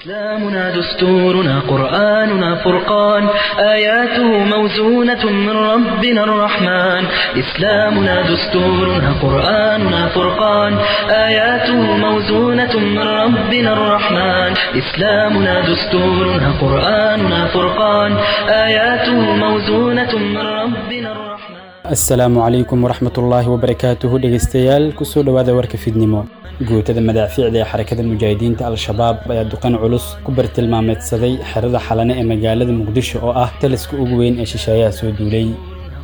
إسلامنا دستورنا قرآننا فرقان آياته موزونة من ربنا الرحمن إسلامنا دستورنا قرآننا فرقان آياته موزونة من ربنا الرحمن إسلامنا دستورنا قرآننا فرقان آياته موزونة من ربنا الرحمن. Asalaamu calaykum waraxmatullaahi wabarakaatuhu. Dhegeystayaal, kusoo dhowaada warka fidnimo. Guutada madaafiicda ee Xarakada Mujaahidiinta Al-Shabaab ayaa duqan culus ku bartilmaameedsaday xerada Xalane ee magaalada Muqdisho oo ah taliska ugu weyn ee shisheeyaha soo duulay.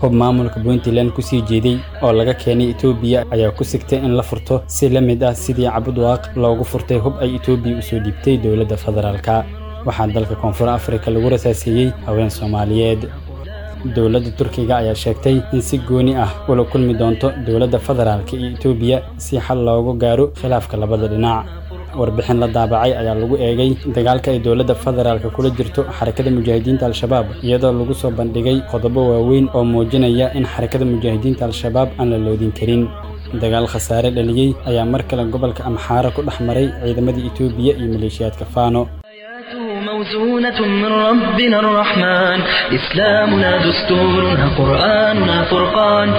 Hub maamulka Puntland kusii jeeday oo laga keenay Itoobiya ayaa ku sigtay in la furto si la mid ah sidii Cabudwaaq loogu furtay hub ay Itoobiya usoo dhiibtay dowladda federaalka. Waxaa dalka Koonfur Afrika lagu rasaaseeyey haween Soomaaliyeed. Dowladda Turkiga ayaa sheegtay in si gooni ah ula kulmi doonto dowladda federaalka iyo Itoobiya si xal loogu gaaro khilaafka labada dhinac. Warbixin la daabacay ayaa lagu eegay dagaalka ay dowladda federaalka kula jirto Xarakada Mujaahidiinta Al-Shabaab, iyadoo lagu soo bandhigay qodobo waaweyn oo muujinaya in Xarakada Mujaahidiinta Al-Shabaab aan la loodin karin. Dagaal khasaare dhaliyey ayaa mar kale gobolka Amxaara ku dhex maray ciidamada Itoobiya iyo maleeshiyaadka Faano. موزونة من ربنا الرحمن إسلامنا دستورنا قرآننا فرقان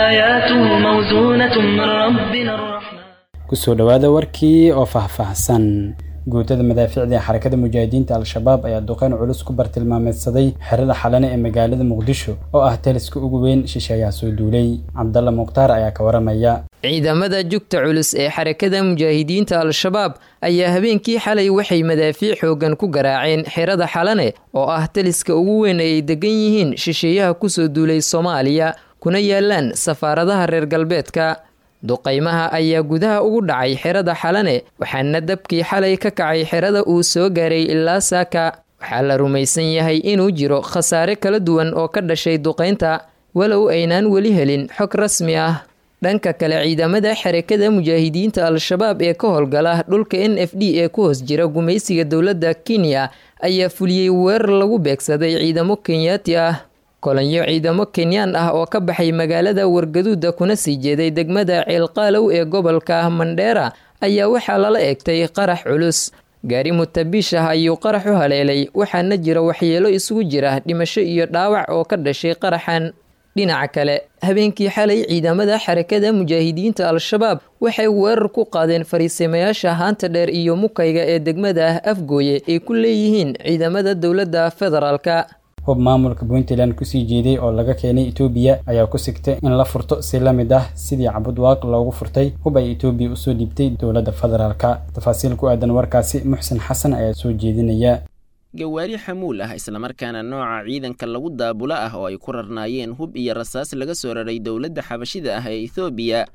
آياته موزونة من ربنا الرحمن. Kusoo dhowaada warkii oo faahfaahsan. Guutada madaafiicda ee Xarakada Mujaahidiinta Al-Shabaab ayaa duqeyn culus ku bartilmaameedsaday xerada Xalane ee magaalada Muqdisho oo ah taliska ugu weyn shisheeyaha soo duulay. Cabdalla Mukhtaar ayaa ka waramaya. Ciidamada jugta culus ee Xarakada Mujaahidiinta Al-Shabaab ayaa habeenkii xalay waxay madaafiic xoogan ku garaaceen xerada Xalane oo ah taliska ugu weyn ay degan yihiin shisheeyaha kusoo duulay Soomaaliya, kuna yaalaan safaaradaha reer galbeedka. Duqaymaha ayaa gudaha ugu dhacay xerada Xalane, waxaana dabkii xalay ka kacay xerada uu soo gaaray ilaa saaka. Waxaa la rumaysan yahay inuu jiro khasaare kala duwan oo ka dhashay duqaynta, walow aynaan weli helin xog rasmi ah. Dhanka kale, ciidamada Xarakada Mujaahidiinta Al-Shabaab ee ka howlgala dhulka NFD ee ku hoos jira gumaysiga dowladda Kenya ayaa fuliyey weerar lagu beegsaday ciidamo Kenyaati ah. Kolonyo ciidamo Kenyaan ah oo ka baxay magaalada Wargaduuda kuna sii jeeday degmada Ceelqaalow ee gobolka Mandheera ayaa waxaa lala eegtay qarax culus. Gaari mutabiish ah ayuu qarax u haleelay, waxaana jira waxyeelo isugu jira dhimasho iyo dhaawac oo ka dhashay qaraxan. Dhinaca kale, habeenkii xalay ciidamada Xarakada Mujaahidiinta Al-Shabaab waxay weerar ku qaadeen fariisimayaasha Haanta Dheer iyo Mukayga ee degmada Afgooye ay ku leeyihiin ciidamada dowladda federaalka. Hub maamulka Puntland kusii jeeday oo laga keenay Itoobiya ayaa ku sigtay in la furto si la mid ah sidii Cabudwaaq loogu furtay hub ay Itoobiya usoo dhiibtay dowladda federaalka. Tafaasiil ku aadan warkaasi Muxsin Xasan ayaa soo jeedinaya. Gawaari xamuul ah, islamarkaana nooca ciidanka lagu daabula ah, oo ay ku rarnaayeen hub iyo rasaas laga soo raray dowladda xabashida ah ee Ethoobiya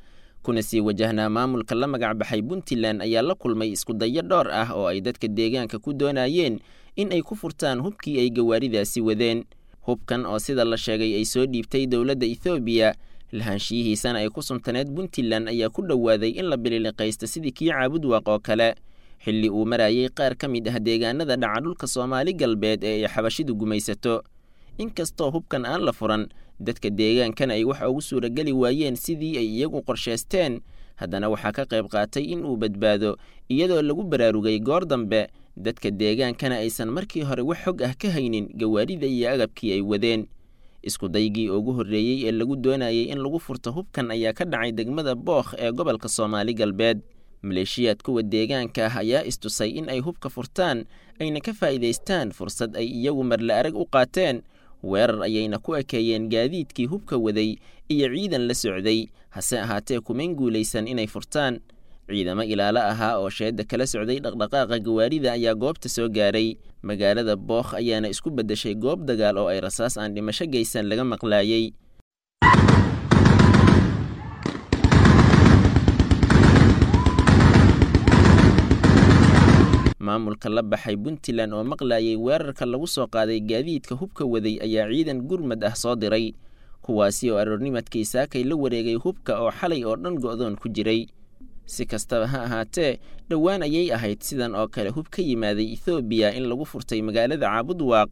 kuna sii wajahnaa maamulka la magac baxay Puntland, ayaa la kulmay iskudayo dhowr ah oo ay dadka deegaanka ku doonayeen in ay ku furtaan hubkii ay gawaaridaasi wadeen. Hubkan oo sida la sheegay ay soo dhiibtay dowladda Ethoobiya, lahaanshiyihiisana ay ku suntaneed Puntland, ayaa ku dhowaaday in la bililiqaysto sidii kii Caabudwaaq oo kale, xilli uu marayay qaar ka mid ah deegaanada dhaca dhulka Soomaali Galbeed ee ay xabashidu gumaysato. Inkastoo hubkan aan la furan, dadka deegaankana ay wax ugu suurageli waayeen sidii ay iyagu qorshaysteen, haddana waxaa ka qayb qaatay in uu badbaado iyadoo lagu baraarugay goor dambe, dadka deegaankana aysan markii hore wax xog ah ka haynin gawaarida iyo agabkii ay wadeen. Iskudaygii ugu horreeyey ee lagu doonayay in lagu furto hubkan ayaa ka dhacay degmada Bookh ee gobolka Soomaali Galbeed. Maleeshiyaad kuwa deegaanka ah ayaa istusay in ay hubka furtaan, ayna ka faa'iidaystaan fursad ay iyagu marle arag u qaateen. Weerar ayayna ku ekeeyeen gaadiidkii hubka waday iyo ciidan la socday, hase ahaatee kumayn guulaysan inay furtaan. Ciidamo ilaalo ahaa oo sheedda kala socday dhaqdhaqaaqa gawaarida ayaa goobta soo gaaray. Magaalada Bookh ayaana isku beddeshay goob dagaal oo ay rasaas aan dhimasho geysan laga maqlaayey. Maamulka la baxay Puntland oo maqlaayay weerarka lagu soo qaaday gaadiidka hubka waday ayaa ciidan gurmad ah soo diray, kuwaasi oo aroornimadkii saakay la wareegay hubka oo xalay oo dhan go'doon ku jiray. Si kastaba ha ahaatee, dhowaan ayay ahayd sidan oo kale hub ka yimaaday Ethoobiya in lagu furtay magaalada Caabudwaaq,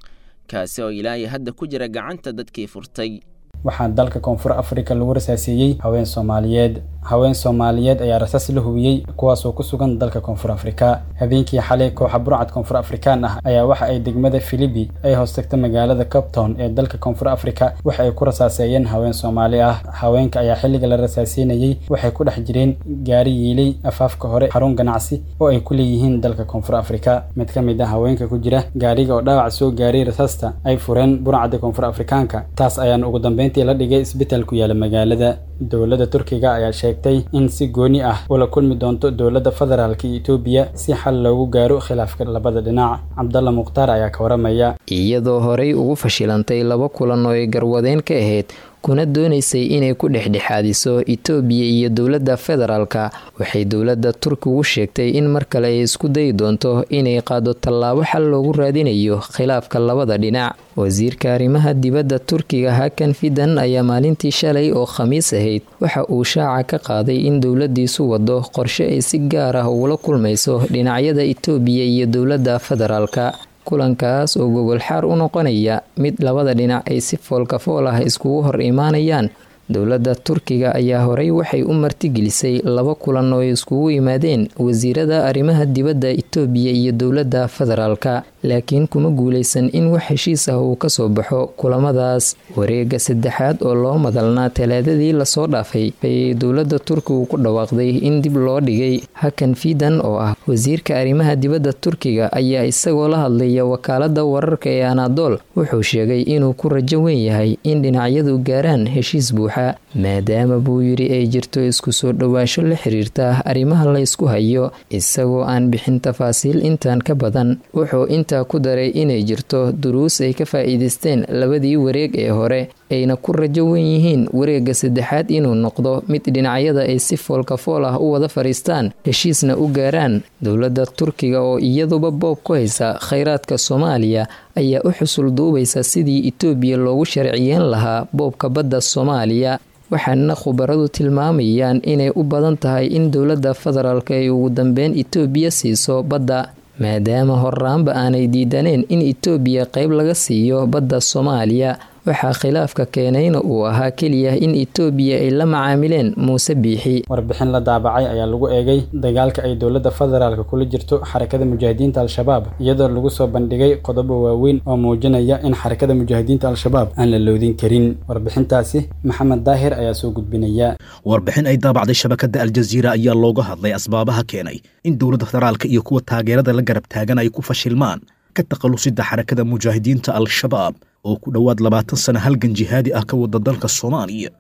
kaasi oo ilaahay hadda ku jira gacanta dadkii furtay. Waxaa dalka Koonfur Afrika lagu rasaaseeyey haween Soomaaliyeed. Haween Soomaaliyeed ayaa rasaas la hubiyey, kuwaasoo ku sugan dalka Koonfur Afrika. Habeenkii xalay, kooxa burcad Koonfur Afrikaan ah ayaa waxa ay degmada Filibi ay hoostagta magaalada Cape Town ee dalka Koonfur Afrika waxa ay ku rasaaseeyeen haween Soomaali ah. Haweenka ayaa xilliga la rasaaseynayey waxay ku dhex jireen gaari yiilay afaafka hore xarun ganacsi oo ay ku leeyihiin dalka Koonfur Afrika. Mid ka mid ah haweenka ku jira gaariga oo dhaawac soo gaaray rasaasta ay fureen burcadda Koonfur Afrikaanka, taas ayaana ugu dambeyntii la dhigay isbitaal ku yaala magaalada. Dowladda Turkiga ayaa sheegtay in si gooni ah ula kulmi doonto dowladda federaalka Itoobiya si xal loogu gaaro khilaafka labada dhinac. Cabdalla Mukhtaar ayaa ka waramaya. Iyadoo horey ugu fashilantay laba kulan oo ay garwadeen ka ahayd, kuna doonaysay inay ku dhexdhexaadiso Itoobiya iyo dowladda federaalka, waxay dowladda Turkigu sheegtay in mar kale ay isku dayi doonto inay qaado tallaabo xal loogu raadinayo khilaafka labada dhinac. Wasiirka arrimaha dibadda Turkiga Hakan Fidan ayaa maalintii shalay oo Khamiis ahayd waxa uu shaaca ka qaaday in dowladiisu wado qorshe ay si gaar ah ugula kulmayso dhinacyada Itoobiya iyo dowladda federaalka, kulankaas oo gogol xaar u noqonaya mid labada dhinac ay si foolkafool ah iskugu hor imaanayaan. Dowladda Turkiga ayaa horey waxay u martigelisay laba kulan oo ay iskugu yimaadeen wasiirada arrimaha dibadda Itoobiya iyo dowladda federaalka, laakiin kuma guuleysan in wax heshiis ah uu kasoo baxo kulamadaas. Wareegga saddexaad oo loo madalnaa Talaadadii lasoo dhaafay ayay dowladda Turkigu ku dhawaaqday in dib loo dhigay. Hakan Fidan oo ah wasiirka arrimaha dibadda Turkiga ayaa isagoo la hadlaya wakaaladda wararka ee Anadol wuxuu sheegay inuu ku rajo weyn yahay in dhinacyadu gaaraan heshiis buuxa, maadaama buu yidhi ay jirto isku soo dhowaansho la xiriirta arrimaha la ysku hayo. Isagoo aan bixin tafaasiil intaan ka badan, wuxuu intaa ku daray inay jirto duruus ay ka faa'iidaysteen labadii wareeg ee hore, ayna ku rajo weyn yihiin wareegga saddexaad inuu noqdo mid dhinacyada ay si foolkafool ah u wada fadhiistaan, heshiisna u gaaraan. Dowladda Turkiga oo iyaduba boob ku haysa kheyraadka Soomaaliya ayaa u xusul duubaysa sidii Itoobiya loogu sharciyeen lahaa boobka badda Soomaaliya, waxaana khubaradu tilmaamayaan inay u badan tahay in dowladda federaalka ay ugu dambeyn Itoobiya siiso badda, maadaama horaanba aanay diidaneen in Itoobiya qayb laga siiyo badda Soomaaliya. Waxaa khilaafka keenayna uu ahaa keliya in Itoobiya ay la macaamileen Muuse Biixi. Warbixin la daabacay ayaa lagu eegay dagaalka ay dowladda federaalka kula jirto Xarakada Mujaahidiinta Al-Shabaab, iyadoo lagu soo bandhigay qodobo waaweyn oo muujinaya in Xarakada Mujaahidiinta Al-Shabaab aan la loodin karin. Warbixintaasi Maxamed Daahir ayaa soo gudbinaya. Warbixin ay daabacday shabakadda Aljaziira ayaa looga hadlay asbaabaha keenay in dowladda federaalka iyo kuwa taageerada la garab taagan ay ku fashilmaan ka takhalusida Xarakada Mujaahidiinta Al-Shabaab oo ku dhowaad 20 sano halgan jihaadi ah ka wada dalka Soomaaliya.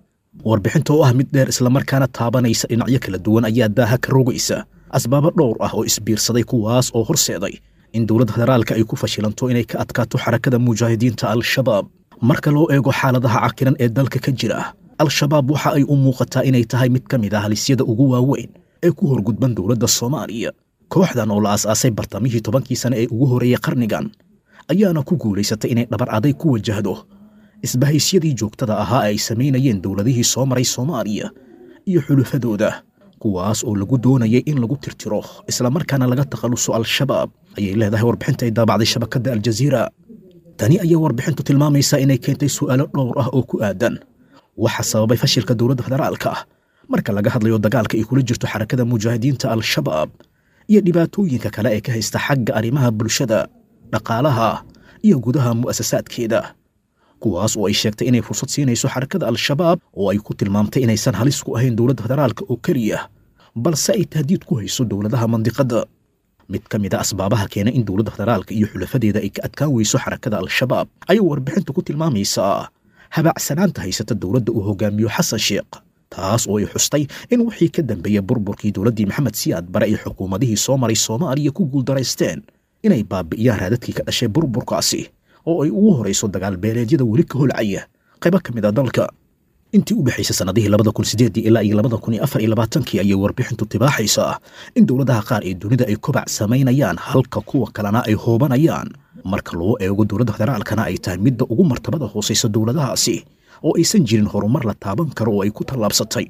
Warbixinta oo ah mid dheer islamarkaana taabanaysa dhinacyo kala duwan ayaa daaha ka rogaysa asbaabo dhowr ah oo isbiirsaday, kuwaas oo horseeday in dowladda federaalka ay ku fashilanto inay ka adkaato Xarakada Mujaahidiinta Al-Shabaab. Marka loo eego xaaladaha cakiran ee dalka ka jira, Al-Shabaab waxa ay u muuqataa inay tahay mid ka mid ah halisyada ugu waaweyn ee ku horgudban dowladda Soomaaliya. Kooxdan oo la aas-aasay bartamihii 10kii sane ee ugu horreeyey qarnigan ayaana ku guulaysatay inay dhabar aday ku wajahdo isbahaysyadii joogtada ahaa ee ay samaynayeen dowladihii soo maray Soomaaliya iyo xulufadooda, kuwaas oo lagu doonayay in lagu tirtiro islamarkaana laga takhaluso Al-Shabaab, ayay leedahay warbixinta ay daabacday shabakadda Aljaziira. Tani ayaa warbixintu tilmaamaysaa inay keentay su'aalo dhowr ah oo ku aadan waxa sababay fashilka dowladda federaalka ah marka laga hadlayo dagaalka ay kula jirto Xarakada Mujaahidiinta Al-Shabaab iyo dhibaatooyinka kale ee ka haysta xagga arrimaha bulshada, dhaqaalaha iyo gudaha mu'asasaadkeeda, kuwaas oo ay sheegtay inay fursad siinayso Xarakada Al-Shabaab oo ay ku tilmaamtay inaysan halis ku ahayn dowladda federaalka oo keliya, balse ay tahdiid ku hayso dowladaha mandiqadda. Mid ka mid a asbaabaha keena in dowladda federaalka iyo xulafadeeda ay ka adkaan weyso Xarakada Al-Shabaab ayay warbixintu ku tilmaamaysaa habacsanaanta haysata dowladda uu hogaamiyo Xasan Sheekh, taas oo ay xustay in wixii ka dambeeyey burburkii dowladdii Maxamed Siyaad Bare ay xukuumadihii soo maray Soomaaliya ku guuldaraysteen inay baabi'iyaan raadadkii ka dhashay burburkaasi, oo ay ugu horayso dagaal beeleedyada weli ka holcaya qaybo ka mid a dalka. Intii u dhexaysay sannadihii 2008 ilaa iyo 2024kii ayay warbixintu tibaaxaysaa in dowladaha qaar ee dunida ay kobac samaynayaan halka kuwa kalena ay hoobanayaan, marka loo eego dowladda federaalkana ay tahay midda ugu martabada hoosaysa dowladahaasi oo aysan jirin horumar la taaban karo oo ay ku tallaabsatay,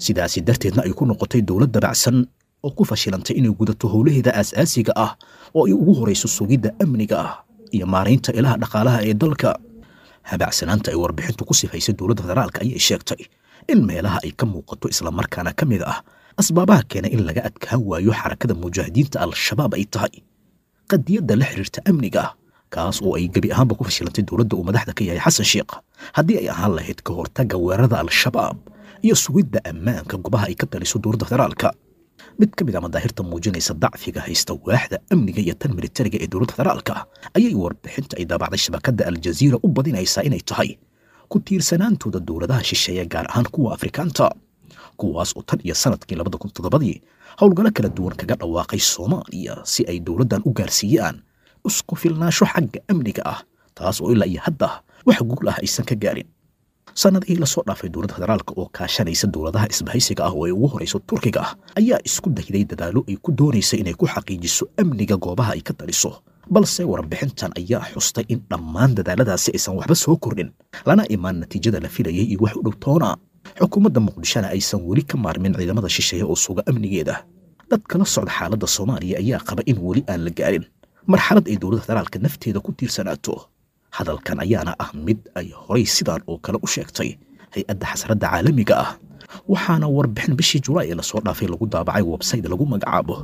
sidaasi darteedna ay ku noqotay dowlad dabacsan oo ku fashilantay inay gudato howlaheeda aas-aasiga ah oo ay ugu horayso sugidda amniga ah iyo maaraynta ilaha dhaqaalaha ee dalka. Habacsanaanta ay warbixintu ku sifaysay dowladda federaalka ayay sheegtay in meelaha ay ka muuqato islamarkaana ka mid ah asbaabaha keena in laga adkaan waayo Xarakada Mujaahidiinta Al-Shabaab ay tahay qadiyadda la xiriirta amniga, kaas oo ay gebi ahaanba ku fashilantay dowladda uu madaxda ka yahay Xasan Sheekh, haddii ay ahaan lahayd ka hortagga weerarada Al-Shabaab iyo sugidda ammaanka goobaha ay ka taliso dowladda federaalka. Mid ka mid a madaahirta muujinaysa dacfiga haysta waaxda amniga iyo tan militariga ee dowladda federaalka ayay warbixinta ay daabacday shabakadda Aljaziira u badinaysaa inay tahay ku tiirsanaantooda dowladaha shisheeye, gaar ahaan kuwa Afrikaanta, kuwaas oo tan iyo sanadkii 2007dii howlgallo kala duwan kaga dhawaaqay Soomaaliya si ay dowladdan u gaarsiiyaan isku filnaansho xagga amniga ah, taas oo ilaa iyo hadda wax guul ah aysan ka gaarin. Sanadihii lasoo dhaafay, dowladda federaalka oo kaashanaysa dowladaha isbahaysiga ah oo ay ugu horayso Turkiga ah ayaa isku dayday dadaallo ay ku doonaysa inay ku xaqiijiso amniga goobaha ay ka taliso, balse warbixintan ayaa xustay in dhammaan dadaaladaasi aysan waxba soo kordhin, lana imaan natiijada la filayay iyo wax u dhow toona, xukuumadda Muqdishona aysan weli ka maarmin ciidamada shisheeye oo suga amnigeeda. Dadka la socda xaaladda Soomaaliya ayaa qaba in weli aan la gaarin marxalad ay dowladda federaalka nafteeda ku tiirsanaato. Hadalkan ayaana ah mid ay horay sidaan oo kale u sheegtay hay-adda xasradda caalamiga ah, waxaana warbixin bishii Julaay ee lasoo dhaafay lagu daabacay website lagu magacaabo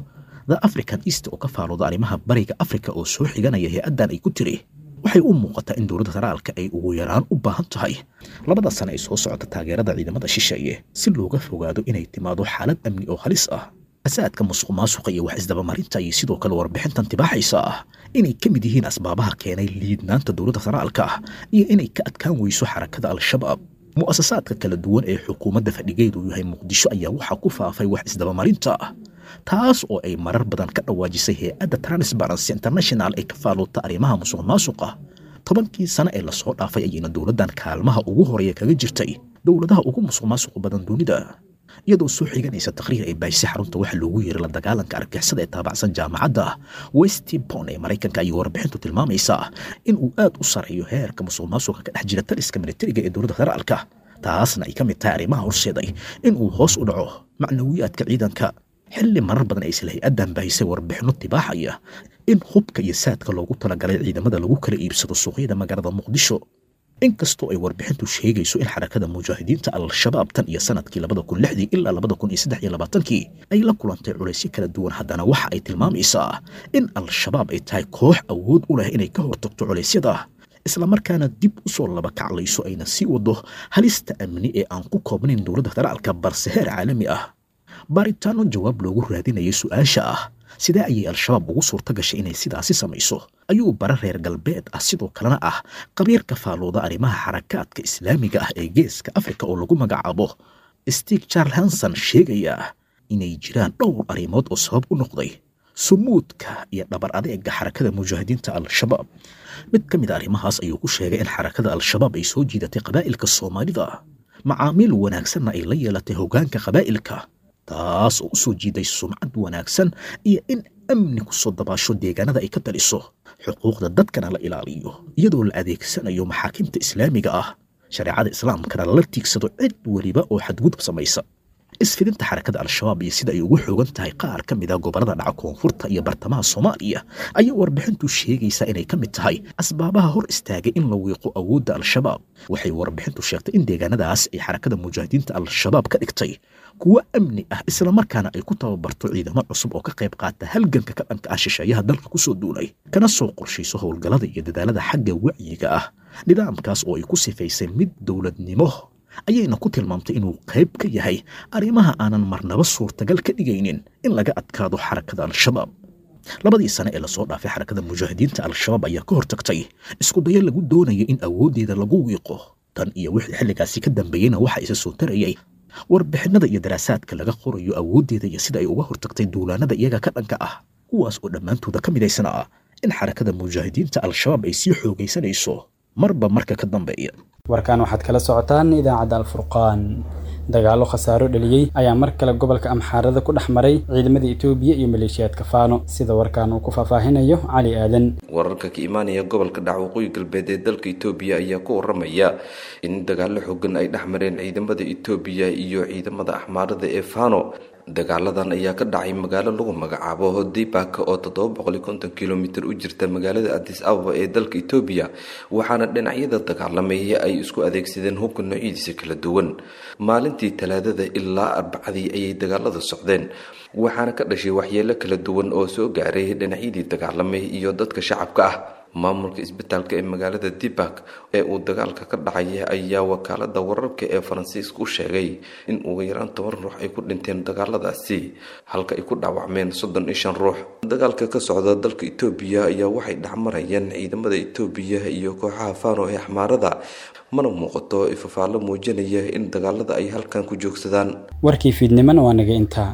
The African East oo ka faalooda arrimaha Bariga Afrika oo soo xiganaya hay-addan ay ku tiri: waxay u muuqataa in dowladda federaalka ay ugu yaraan u baahan tahay 2da sano ay soo socota taageerada ciidamada shisheeye si looga fogaado inay timaado xaalad amni oo halis ah. Fasaadka, musuq maasuqa iyo wax isdabamarinta ayay sidoo kale warbixintan tibaaxaysa ah inay ka mid yihiin asbaabaha keenay liidnaanta dowladda federaalka ah iyo inay ka adkaan weyso Xarakada Al-Shabaab. Mu'asasaadka kala duwan ee xukuumadda fadhigeedu yahay Muqdisho ayaa waxaa ku faafay wax isdabamarinta ah, taas oo ay marar badan ka dhawaajisay hay-adda Transparency International ee ka faalloota arrimaha musuq maasuqa. 10kii sano ee lasoo dhaafay ayayna dowladdan kaalmaha ugu horeeya kaga jirtay dowladaha ugu musuq maasuqa badan dunida. Iyadoo soo xiganaysa taqriir ay baahisay xarunta waxa loogu yeeray la dagaalanka argagixisada ee taabacsan jaamacadda Westpon ee Maraykanka ayay warbixintu tilmaamaysaa in uu aad u sareeyo heerka musuq maasuqa ka dhex jira taliska militariga ee dowladda federaalka, taasna ay ka mid tahay arrimaha horseeday in uu hoos u dhaco macnawiyaadka ciidanka, xilli marar badan ay isla hay-addan baahisay warbixinno tibaaxaya in hubka iyo saadka loogu talagalay ciidamada lagu kala iibsado suuqyada magaalada Muqdisho. Inkastoo ay warbixintu sheegayso in Xarakada Mujaahidiinta Al-Shabaab tan iyo sanadkii 2006dii ilaa 2023kii ay la kulantay culaysyo kala duwan, haddana waxa ay tilmaamaysaa in Al-Shabaab ay tahay koox awood u leh inay ka hortagto culaysyada, islamarkaana dib u soo laba kaclayso, ayna sii wado halista amni ee aan ku koobnayn dowladda federaalka balse heer caalami ah. Baaritaano jawaab loogu raadinayay su-aasha ah sidee ayay Al-Shabaab ugu suurta gashay inay sidaasi samayso ayuu bara reer galbeed ah, sidoo kalena ah qabiirka faalooda arrimaha xarakaadka islaamiga ah ee Geeska Afrika oo lagu magacaabo Stig Charles Hanson, sheegaya inay jiraan dhowr arrimood oo sabab u noqday sumuudka iyo dhabar adeega Xarakada Mujaahidiinta Al-Shabaab. Mid ka mid a arrimahaas ayuu ku sheegay in Xarakada Al-Shabaab ay soo jiidatay qabaa'ilka Soomaalida, macaamiil wanaagsanna ay la yeelatay hoggaanka qabaa'ilka, taas oo u soo jiiday sumcad wanaagsan iyo in amni ku soo dabaasho deegaanada ay ka taliso, xuquuqda dadkana la ilaaliyo iyadoo la adeegsanayo maxaakimta islaamiga ah, shareecada islaamkana lala tiigsado cid weliba oo xadgudub samaysa. Isfidinta Xarakada Al-Shabaab iyo sida ay ugu xoogan tahay qaar ka mid a gobollada dhaca koonfurta iyo bartamaha Soomaaliya ayaa warbixintu sheegaysaa inay ka mid tahay asbaabaha hor istaagay in la wiiqo awoodda Al-Shabaab. Waxay warbixintu sheegtay in deegaanadaas ay Xarakada Mujaahidiinta Al-Shabaab ka dhigtay kuwo amni ah, islamarkaana ay ku tababarto ciidamo cusub oo ka qayb qaata halganka ka dhanka ah shisheeyaha dalka kusoo duulay, kana soo qorshayso howlgallada iyo dadaalada xagga wacyiga ah. Nidaamkaas oo ay ku sifaysay mid dowladnimo ayayna ku tilmaamtay inuu qayb ka yahay arrimaha aanan marnaba suurtagal ka dhigaynin in laga adkaado Xarakada Al-Shabaab. 2dii sane ee lasoo dhaafay, Xarakada Mujaahidiinta Al-Shabaab ayaa ka hortagtay isku dayo lagu doonayo in awooddeeda lagu wiiqo. Tan iyo wixii xilligaasi ka dambeeyeyna waxa isa soo tarayay warbixinada iyo daraasaadka laga qorayo awooddeeda iyo sida ay uga hortagtay duulaanada iyaga ka dhanka ah, kuwaas oo dhammaantooda ka midaysan ah in Xarakada Mujaahidiinta Al-Shabaab ay sii xoogaysanayso marba marka ka dambeeya. Warkaan waxaad kala socotaan idaacadda Alfurqaan. Dagaallo khasaaro dhaliyey ayaa mar kale gobolka Amxaarada ku dhex maray ciidamada Itoobiya iyo maleeshiyaadka Faano, sida warkaan uu ku faahfaahinayo Cali Aadan. Wararka ka imaanaya gobolka dhac waqooyi galbeed ee dalka Itoobiya ayaa ku waramaya in dagaallo xoogan ay dhex mareen ciidamada Itoobiya iyo ciidamada Axmaarada ee Faano. Dagaaladan ayaa ka dhacay magaalo lagu magacaabo Dibak oo 750 kilomitir u jirta magaalada Addis Ababa ee dalka Itoobiya, waxaana dhinacyada dagaalamaya ay isku adeegsadeen hubka noocyadiisa kala duwan. Maalintii Talaadada ilaa Arbacadii ayay dagaalada socdeen, waxaana ka dhashay waxyeelo kala duwan oo soo gaaray dhinacyadii dagaalamay iyo dadka shacabka ah. Maamulka isbitaalka ee magaalada Dibak ee uu dagaalka ka dhacay ayaa wakaalada wararka ee Faransiiska u sheegay in ugu yaraan 10 ruux ay ku dhinteen dagaaladaasi, halka ay ku dhaawacmeen 35 ruux. Dagaalka ka socda dalka Itoobiya ayaa waxay dhexmarayeen ciidamada Itoobiya iyo kooxaha Fano ee Axmaarada, mana muuqato ifafaalo muujinaya in dagaalada ay halkan ku joogsadaan. Warkii fiidnimana waa naga intaa.